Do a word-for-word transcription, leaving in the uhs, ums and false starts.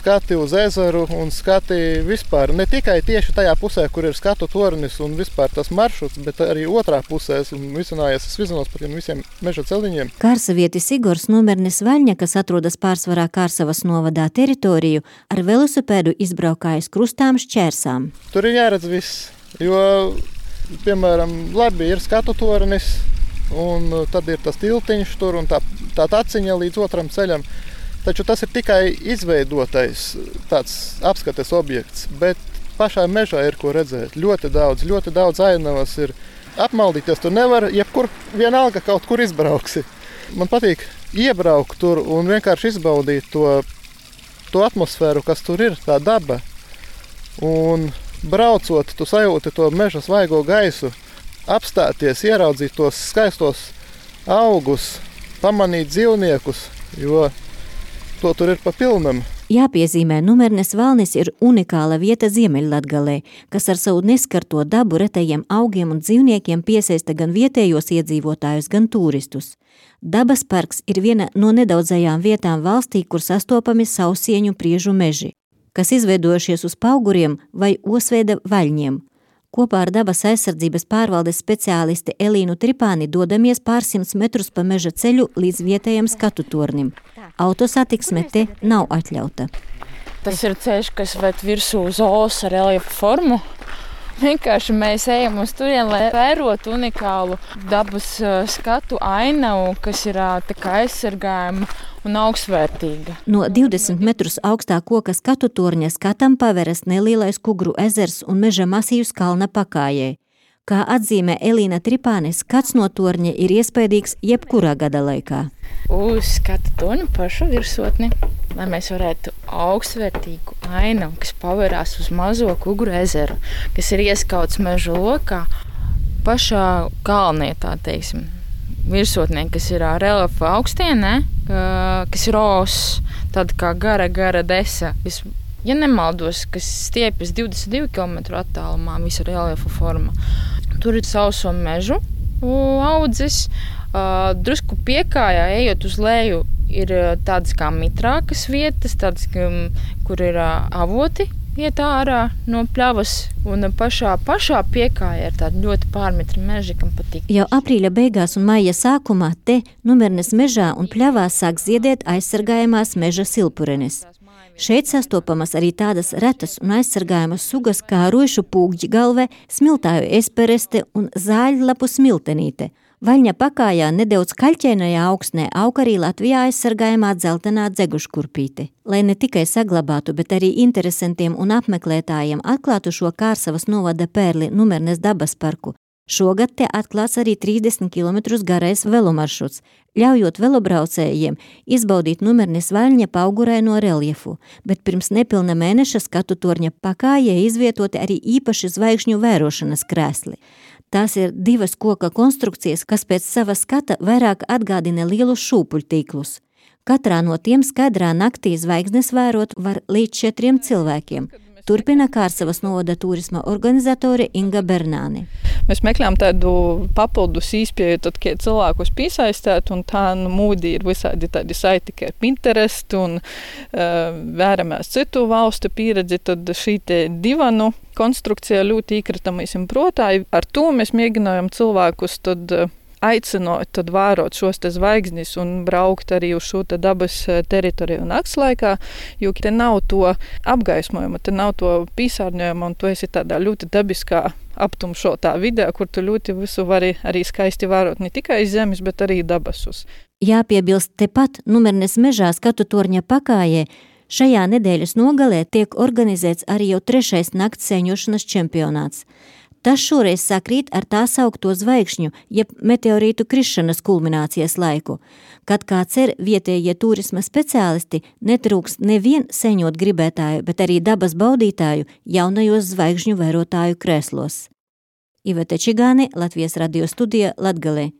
skati uz ezeru un skati vispār. Ne tikai tieši tajā pusē, kur ir skatu tornis un vispār tas maršruts, bet arī otrā pusē un visunājies es vizinos par tiem visiem meža celiņiem. Kārsavietis Igors Numernis Vaļņa, kas atrodas pārsvarā Kārsavas novadā teritoriju, ar velosipēdu izbraukājas krustām šķērsām. Tur ir jāredz viss, jo, piemēram, labi ir skatu tornis, un tad ir tas tiltiņš tur un tā, tā taciņa līdz otram ceļam. Taču tas ir tikai izveidotais tāds apskates objekts, bet pašā mežā ir ko redzēt. Ļoti daudz, ļoti daudz ainavas ir. Apmaldīties tur nevar, jebkur vienalga kaut kur izbrauksi. Man patīk iebraukt tur un vienkārši izbaudīt to, to atmosfēru, kas tur ir, tā daba. Un braucot, tu sajūti to meža svaigo gaisu, apstāties, ieraudzīt tos skaistos augus, pamanīt dzīvniekus, jo to tur ir pa pilnam. Jāpiezīmē, Numernes Valnis ir unikāla vieta Ziemeļlatgalē, kas ar savu neskarto dabu retajiem augiem un dzīvniekiem piesaista gan vietējos iedzīvotājus, gan turistus. Dabas parks ir viena no nedaudzajām vietām valstī, kur sastopami sausieņu priežu meži, kas izveidojušies uz pauguriem vai osveida vaļņiem. Kopā ar dabas aizsardzības pārvaldes speciālisti Elīnu Tripāni dodamies pārsimts metrus pa meža ceļu līdz vietējam skatu tornim. Autosatiksme te nav atļauta. Tas ir ceļš, kas ved virsū uz olas ar reljefa formu. Vienkārši mēs ejam uz turien, lai vērotu unikālu dabas skatu ainavu, kas ir tā kā aizsargājama un augstvērtīga. No divdesmit metrus augstā koka skatu torņa skatam paveras nelielais Kugru ezers un meža masīvs kalna pakājē. Kā atzīmē Elīna Tripāne, skats no torņa ir iespaidīgs jebkurā gada laikā. Uz skatu torņa pašu virsotni, lai mēs varētu augstvērtīgu ainavu, kas paverās uz mazo Kugru ezeru, kas ir ieskauts meža lokā, pašā kalnē, tā teiksim, virsotnē, kas ir reljefa augstienē, kas ir os, tāda kā gara, gara desa, kas, ja nemaldos, kas stiepjas divdesmit divi kilometri attālumā, visa reljefa forma. Tur ir sauso mežu audzis, drusku piekājā, ejot uz leju, ir tādas kā mitrākas vietas, tādas, kur ir avoti iet ārā no pļavas, un pašā, pašā piekājā ir tādi ļoti pārmitri meži, kam patīk. Jau aprīļa beigās un maija sākumā te Numernes mežā un pļavās sāk ziedēt aizsargājamās meža silpurenes. Šeit sastopamas arī tādas retas un aizsargājamas sugas kā ruišu pūkģgalve, smiltāju espereste un zāļlapu smiltenīte. Vaļņa pakājā nedaudz kaļķēnajā augstnē aug arī Latvijā aizsargājamā dzeltenā dzeguškurpīte. Lai ne tikai saglabātu, bet arī interesantiem un apmeklētājiem atklātu šo Kārsavas novada pērli Numernes dabas parku, šogad te atklāts arī trīsdesmit kilometrus garais velomaršruts, ļaujot velobraucējiem izbaudīt Numernes Vaļņa pauguraino reljefu, bet pirms nepilna mēneša skatu torņa pakājē izvietoti arī īpaši zvaigžņu vērošanas krēsli. Tās ir divas koka konstrukcijas, kas pēc sava skata vairāk atgādina lielus šūpuļtīklus. Katrā no tiem skaidrā naktī zvaigznes vērot var līdz četriem cilvēkiem. Turpina Kārsavas novada turisma organizatore Inga Bernāne. Mēs meklējām tādu papildus īspēju, tad, kad cilvēkus piesaistēt, un tā nu, mūdī ir visādi tādi saiti, kā Pinterest un uh, vēramās citu valstu pieredzi, tad šī te divanu konstrukcija ļoti īkrita mēs protā. Ar to mēs mēģinājām cilvēkus tad uh, aicinot, tad vērot šos te zvaigznis un braukt arī uz šo te dabas teritoriju nakts laikā, jo te nav to apgaismojuma, te nav to pīsārņojuma, un tu esi tādā ļoti dabiskā aptumšotā vidē, kur tu ļoti visu vari arī skaisti vērot ne tikai zemes, bet arī dabasus. Jāpiebilst, tepat Numernes mežā skatu torņa pakājē šajā nedēļas nogalē tiek organizēts arī jau trešais nakts sēņošanas čempionāts. Tas šoreiz sakrīt ar tā saukto zvaigžņu, jeb meteorītu krišanas kulminācijas laiku, kad, kā cer vietējie turisma speciālisti, netrūks nevien seņot gribētāju, bet arī dabas baudītāju jaunajos zvaigžņu vērotāju krēslos. Ivete Čigāne, Latvijas radio studija, Latgalē.